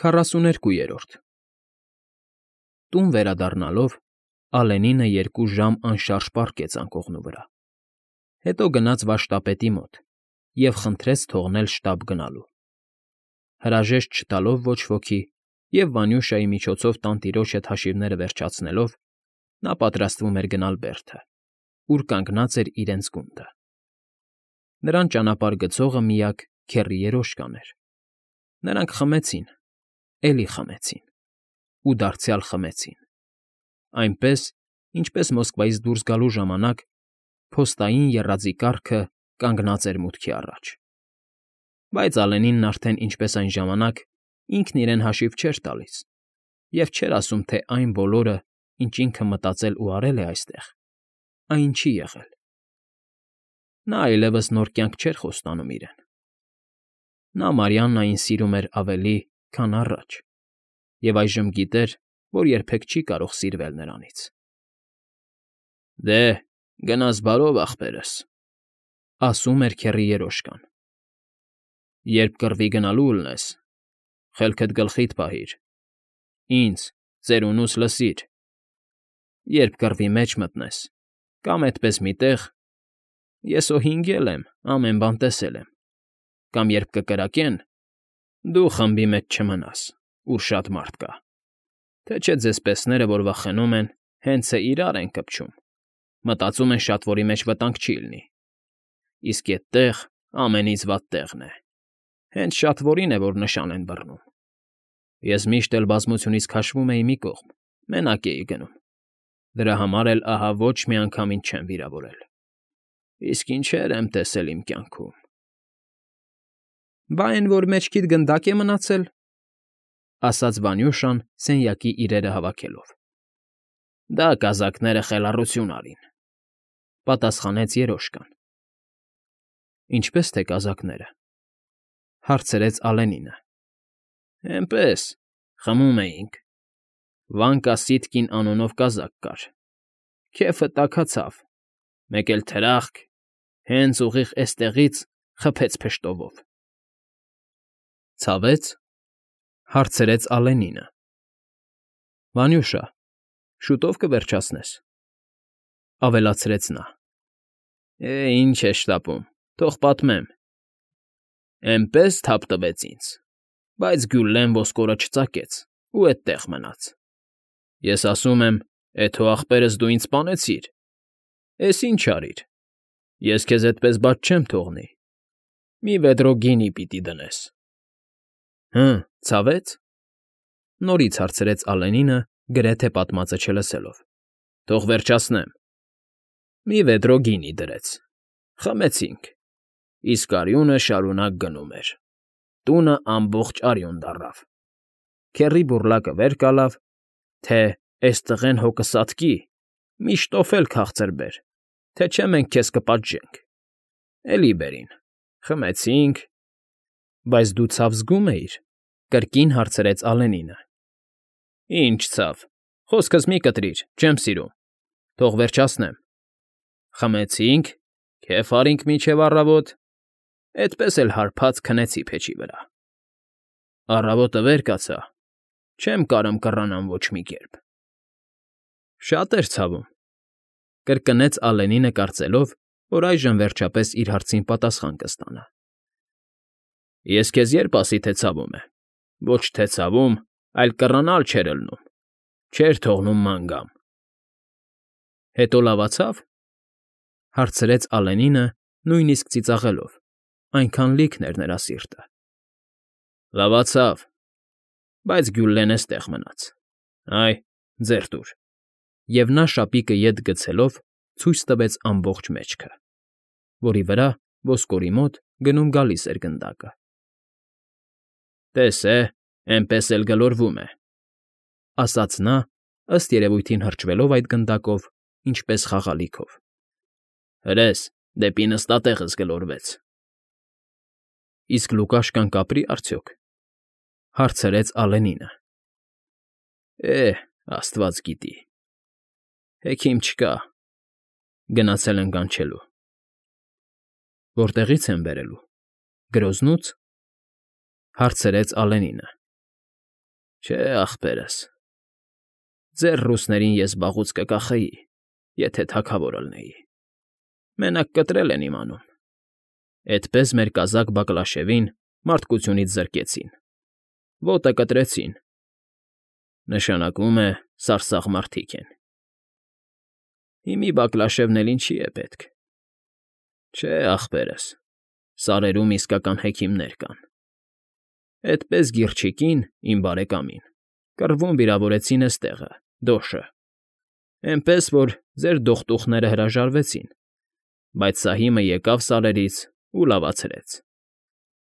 42-րդ Տուն վերադառնալով Ալենինը 2 ժամ անշարժ պառկեց անկողնու վրա, հետո գնաց վարժտապետի մոտ և խնդրեց թողնել շտապ գնալու. հրաժեշտ չտալով ոչ ոքի և Վանյուշայի միջոցով տանտիրոջ հետ հաշիվները վերջացնելով, նա պատրաստվում էր գնալ Բերդը, ուր կանգնած էր իրենց գունդը. նրան ճանապարհ գծողը միակ քեռի երոշկան էր. նրանք խմեցին, էլի խմեցին ու դարձյալ խմեցին, այնպես, ինչպես Մոսկվայից դուրս գալու ժամանակ փոստային եռաձի կառքը կանգնած էր մուտքի առաջ. բայց Ալենինն արդեն ինչպես այն ժամանակ ինքն իրեն հաշիվ չէր տալիս և չէր ասում, թե այն բոլորը, ինչ ինքը մտածել ու արել է այստեղ, այն չի եղել. նա այլևս նոր կյանք չէր խոստանում իրեն. նա Մարիաննային սիրում էր ավելի, քան առաջ և այժմ գիտեր, որ երբեք չի կարող սիրվել նրանից։ «Դե, գնաս բարով, ախպերս», ասում էր քեռի երոշկան. «երբ կռվի գնալու ելնես, խելքդ գլխիդ պահիր, ինձ, ծերունուս լսիր, երբ կռվի մեջ մտնես, կամ էդպես մի տեղ, ես օ հինգել եմ, ամեն բան տեսել եմ, կամ երբ կկրակեն, դու խմբի մեջ չմնաս, ուր շատ մարդ կա, թե չէ ձեզ պեսները, որ վախենում են, հենց է իրար են կպչում, մտածում են շատվորի մեջ վտանգ չի լինի, իսկ էդտեղ ամենից վատ տեղն է, հենց շատվորին է, որ նշան են բռնում։ Ես միշտ էլ բազմությունից քաշվում էի մի կողմ, մենակ էի գնում, դրա համար էլ ահա ոչ մի անգամ ինձ չեն վիրավորել, իսկ ինչեր եմ տեսել իմ կյանքում»։ «Բա էն, որ մեջքիդ գնդակ է մնացել», ասաց Վանյուշան սենյակի իրերը հավաքելով։ «Դա կազակները խելառություն արին», պատասխանեց երոշկան։ «Ինչպես թե կազակները», հարցրեց Ալենինը։ «Էնպես, խմում էինք, Վանկա Սիտկին անունով կազակ կար, քեֆը տաքացավ, մեկ էլ թրախկ, հենց ուղիղ էստեղից խփեց փշտովով»։ «Ցավե՞ց», հարցրեց Ալենինը։ «Վանյուշա, շուտո՞վ կվերջացնես», ավելացրեց նա։ Ինչ է շտապում, թող պատմեմ։ Էնպես թափ տվեց ինձ, բայց Գյուլլեն ոսկորը չծակեց ու էդտեղ մնաց։ Ես ասում եմ, էդ հո ախպերս դու ինձ սպանեցիր, էս ինչ արիր, ես քեզ էդպես բաց չեմ թողնի, մի վեդրո գինի պիտի դնես։ Ցավե՞ց, նորից հարցրեց Ալենինը, գրեթե պատմածը չլսելով։ Թող վերջացնեմ։ Մի վեդրո գինի դրեց, խմեցինք, իսկ արյունը շարունակ գնում էր, տունը ամբողջ արյուն դառավ, քեռի բուռլակը վեր կալավ, թե էս տղեն հո կսատկի, մի շտոֆել քաղցր բեր, թե չէ մենք քեզ կպատժենք, էլի բերին, խմեցինք։ Բայց դու ցավ զգում էիր, կրկին հարցրեց Ալենինը։ Ինչ ցավ, խոսքս մի կտրիր, չեմ սիրում, թող վերջացնեմ։ Խմեցինք, քեֆ արինք մինչև առավոտ, էդպես էլ հարբած քնեցի փեչի վրա։ Առավոտը վեր կացա, չեմ կարում կռանամ ոչ մի կերպ։ Շատ էր ցավում, կրկնեց Ալենինը կարծելով, որ այժմ վերջապես իր հարցին պատասխան կստանա։ Ես քեզ երբ ասի, թե ցավում է, ոչ թե ցավում, այլ կռանալ չէր ելնում, չէր թողնում ման գամ։ Հետո լավացավ, հարցրեց Ալենինը, նույնիսկ ծիծաղելով, այնքան լիքն էր նրա սիրտը։ Լավացավ, բայց Գյուլլեն էստեղ մնաց։ Այ, ձեռ տուր։ Եվ նա շապիկը ետ գցելով ցույց տվեց ամբողջ մեջքը, որի վրա ոսկորի մոտ գնում֊գալիս էր գնդակը։ Տես է, էնպես էլ գլորվում է, ասաց նա, ըստ երևույթին հրճվելով այդ գնդակով, ինչպես խաղալիքով։ Հրես, դեպի նստատեղս գլորվեց։ Իսկ Լուկաշկան կապրի՞ արդյոք, հարցրեց Ալենինը։ Աստված գիտի, հեքիմ չկա, գնացել են կանչելու։ Որտեղի՞ց են բերելու, Գրոզնո՞ւց, հարցրեց Ալենինը։ Չէ, ախպերս, ձեր ռուսներին ես վաղուց կկախեի, եթե թագավորը լինեի, մենակ կտրել են իմանում, էդպես մեր կազակ Բակլաշևին մարդկությունից զրկեցին, ոտը կտրեցին, նշանակում է սարսափ մարդիկ են։ Հիմի Բակլաշևն էլ ինչի է պետք։ Չէ, ախպերս, սարերում իսկական հեքիմներ կան։ Էդպես Գիրջիկին, իմ բարեկամին, կռվում վիրավորեցին էստեղը, դոշը, էնպես որ ձեր դողտուխները հրաժարվեցին, բայց Սահիմը եկավ սարերից ու լավացրեց։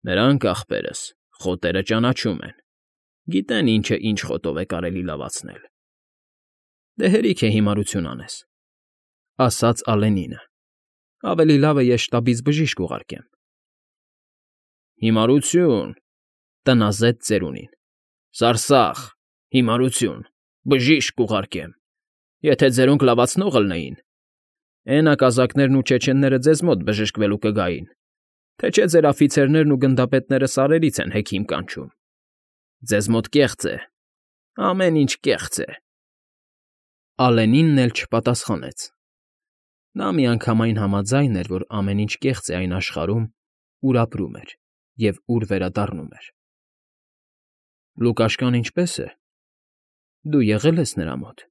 Նրանք, ախպերս, խոտերը ճանաչում են, գիտեն ինչը ինչ խոտով է կարելի լավացնել։ Դե հերիք է հիմարություն անես, ասաց Ալենինը, ավելի լավ է ես շտաբից բժիշկ ուղարկեմ։ Հիմարություն, տնազեց ծերունին, սարսախ, հիմարություն, բժիշկ կուղարկեմ, եթե ձերոնք լավացնողը լինեին, էն ակազակներն ու չեչենները ձեզ մոտ բժշկվելու կգային, թե չէ ձեր աֆիցերներն ու գնդապետները սարերից են հեքիմ կանչում։ Ձեզ մոտ կեղծ է, ամեն ինչ կեղծ է։ Ալենինն էլ չպատասխանեց։ Նա միանգամայն համաձայն էր, որ ամեն ինչ կեղծ է այն աշխարհում, ուր ապրում էր և ուր վերադառնում էր։ Լուկաշկան ինչպե՞ս է։ Դու եղել ես նրա մոտ,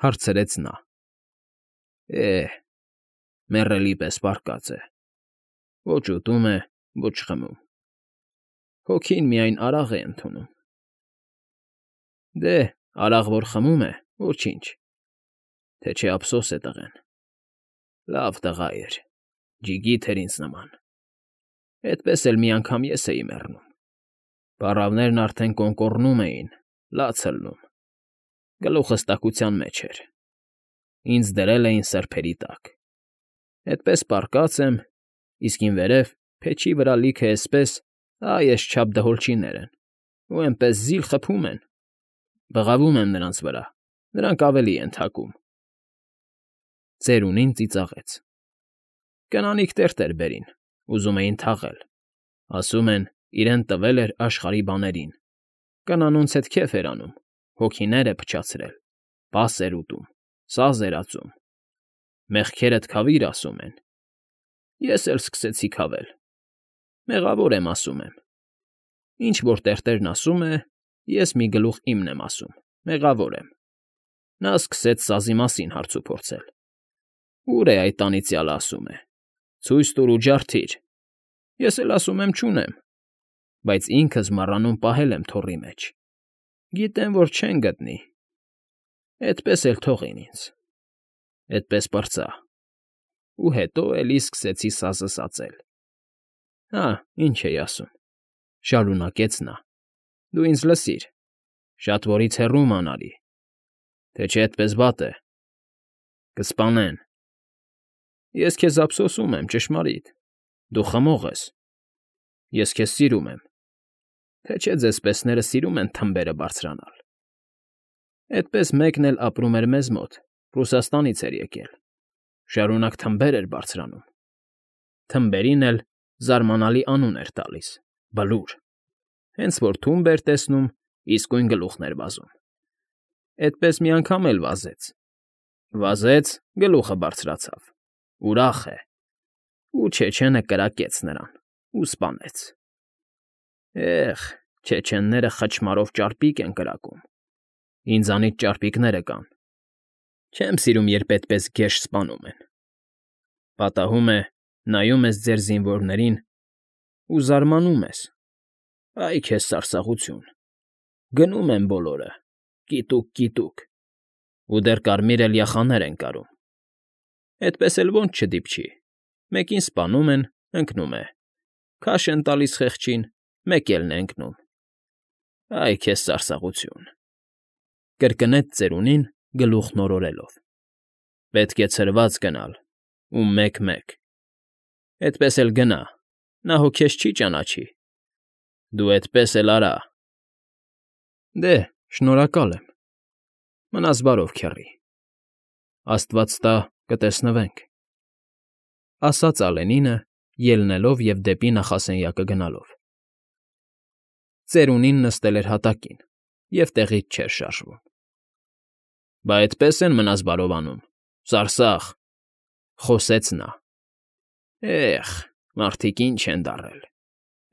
հարցրեց նա։ Մեռելի պես պառկած է, ոչ ուտում է, ոչ խմում, հոգին միայն արաղ է ընդունում։ Դե, արաղ որ խմում է, ոչինչ, թե չէ ափսոս է տղեն։ Լավ տղա էր, ջիգիթ էր ինձ նման, էդպես էլ մի անգամ ես էի մեռնում։ Պառավներն արդեն կոնկոռնում էին, լաց ըլնում, գլուխս տաքության մեջ էր, ինձ դրել էին սրբերի տակ, էդպես պառկած եմ, իսկ ինվերև փեչի վրա լիքը էսպես, այսչափ դհոլչիներ են, ու էնպես զիլ խփում են, բղավում եմ նրանց վրա, նրանք ավելի են թակում։ Ծերունին ծիծաղեց։ Կնանիք տերտեր բերին, ուզում էին թաղել, ասում են, իրեն տվել էր աշխարհի բաներին, կանանոնց հետ քեֆ էր անում, հոգիներ է փչացրել, պաս էր ուտում, սազ էր ածում, մեղքերդ քավիր ասում են։ Ես էլ սկսեցի քավել, մեղավոր եմ ասում եմ։ Ինչ որ տերտերն ասում է, ես մի գլուխ իմն եմ ասում, մեղավոր եմ։ Նա սկսեց սազի մասին հարց ու փորձել։ Ուր է այդ անիծյալը ասում է, ցույց տուր ու ջարդիր։ Ես էլ ասում եմ չունեմ, բայց ինքս մառանում պահել եմ թոռի մեջ։ Գիտեմ, որ չեն գտնի։ Էդպես էլ թողին ինձ։ Էդպես պրծա։ Ու հետո էլի սկսեցի սազս ածել։ Հա, ինչ էի ասում, շարունակեց նա։ Դու ինձ լսիր, շատ որից հեռու մանարի, թե չէ էդպես վատ է։ Կսպանեն։ Ես քեզ ափսոսում եմ, ճշմարիտ, դու խմող ես։ Ես քեզ սիրում եմ, թե չէ ձեզ պեսները սիրում են թմբերը բարձրանալ։ Էդպես մեկն էլ ապրում էր մեզ մոտ, Ռուսաստանից էր եկել, շարունակ թմբեր էր բարձրանում։ Թմբերին էլ զարմանալի անուն էր տալիս՝ Բլուր, հենց որ թումբ էր տեսնում, իսկույն գլուխն էր վազում։ Էդպես մի անգամ էլ վազեց։ Վազեց, գլուխը բարձրացավ, ուրախ է, ու չեչենը կրակեց նրան ու սպանեց։ Չեչենները խճմարով ճարպիկ են կրակում, ինձանից ճարպիկները կան։ Չեմ սիրում, երբ այդպես գեշ սպանում են։ Պատահում է, նայում ես ձեր զինվորներին ու զարմանում ես։ Այ քեզ սարսափություն։ Գնում են բոլորը, կիտուկ, ու դեռ կարմիր էլիախաներ են կարում։ Էդպես էլ ոնց չդիպչի։ Մեկին սպանում են, ընկնում է։ Քաշ են տալիս խեղճին, մեկ էլն է ընկնում։ Այ քեզ սարսափություն։ Կրկնեց ծերունին գլուխն օրորելով։ Պետք է ցրված գնալ ու մեկ-մեկ։ Էդպես էլ գնա, նա հո քեզ չի ճանաչի։ Դու էդպես էլ արա։ Դե, շնորհակալ եմ։ Մնաս բարով, քեռի։ Աստված տա, կտեսնվենք, ասաց Ալենինը, ելնելով և դեպի նախասենյակը գնալով։ Ծերունին նստել էր հատակին, և տեղից չէր շարժվում։ Բա այդպես են մնաս բարովանում, սարսափ,֊ խոսեց նա։ Էխ, մարդիկ ինչ են դառել,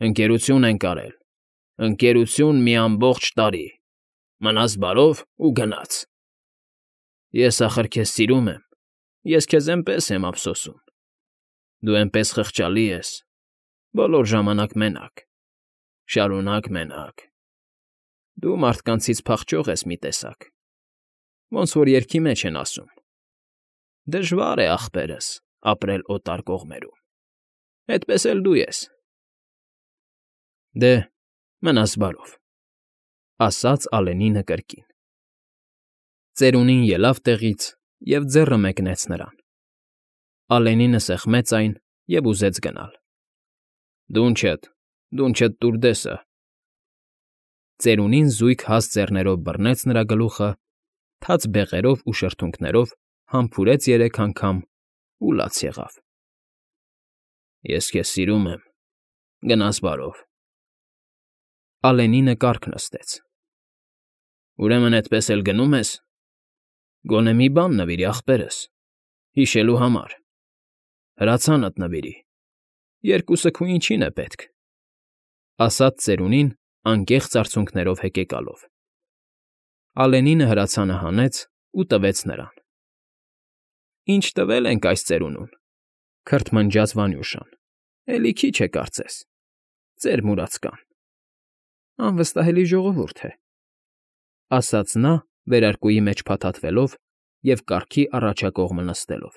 ընկերություն ենք արել, ընկերություն մի ամբողջ տարի, մնաս բարով ու գնաց։ Ես ախր քեզ սիրում եմ, ես քեզ էնպես եմ ափսոսում, դու էնպես խղճալի ես, բոլոր ժամանակ մենակ, շարունակ մենակ, դու մարդկանցից փախչող ես մի տեսակ, ոնց որ երգի մեջ են ասում. դժվար է, ախպերս, ապրել օտար կողմերում, էդպես էլ դու ես։ Դե, մնաս բարով,֊ ասաց Ալենինը կրկին։ Ծերունին ելավ տեղից և ձեռը մեկնեց նրան։ Ալենինը սեղմեց այն և ուզեց գնալ։ Դունչդ տուր դեսը։ Ծերունին զույգ հաստ ձեռներով բռնեց նրա գլուխը, թաց բեղերով ու շրթունքներով համբուրեց 3 անգամ ու լաց եղավ։ Ես քեզ սիրում եմ, գնաս բարով։ Ալենինը կառք նստեց։ Ուրեմն էդպես էլ գնում ես։ Գոնե մի բան նվիրի, ախպերս, հիշելու համար, հրացանդ նվիրի, երկուսը քու ինչին է պետք,֊ ասաց ծերունին անկեղծ արցունքներով հեկեկալով։ Ալենինը հրացանը հանեց ու տվեց նրան։ Ինչ տվել ենք այս ծերունուն,֊ քրթմնջաց Վանյուշան,֊ էլի քիչ է կարծես, ծեր մուրացկան։ Անվստահելի ժողովուրդ է,֊ ասաց նա վերարկուի մեջ փաթաթվելով և կառքի առաջակողմը նստելով։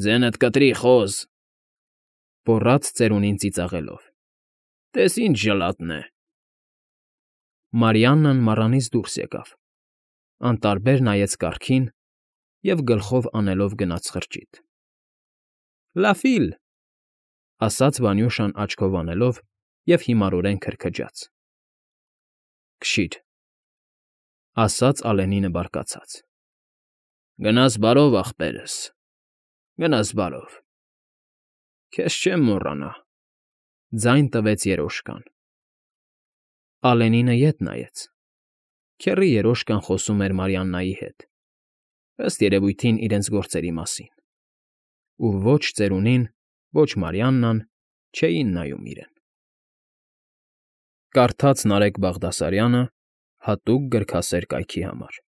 Ձենդ կտրի, խոզ,֊ գոռաց ծերունին ծիծաղելով,֊ տես ինչ ժլատն է։ Մարիաննան մառանից դուրս եկավ, անտարբեր նայեց կառքին և գլխով անելով գնաց խրճիթ։ Լաֆիլ,֊ ասաց Վանյուշան աչքով անելով և հիմարորեն քրքջաց։ Քշի՛ր,֊ ասաց Ալենինը բարկացած։ Գնաս բարով, ախպերս, գնաս բարով։ Քեզ չեմ մոռանա,֊ ձայն տվեց երոշկան։ Ալենինը ետ նայեց։ Քեռի երոշկան խոսում էր Մարիաննայի հետ, ըստ երևույթին իրենց գործերի մասին, ու ոչ ծերունին, ոչ Մարիաննան չէին նայում իրեն։ Կարդաց Նարեկ Բաղդասարյանը հատուկ գրքասեր կայքի համար։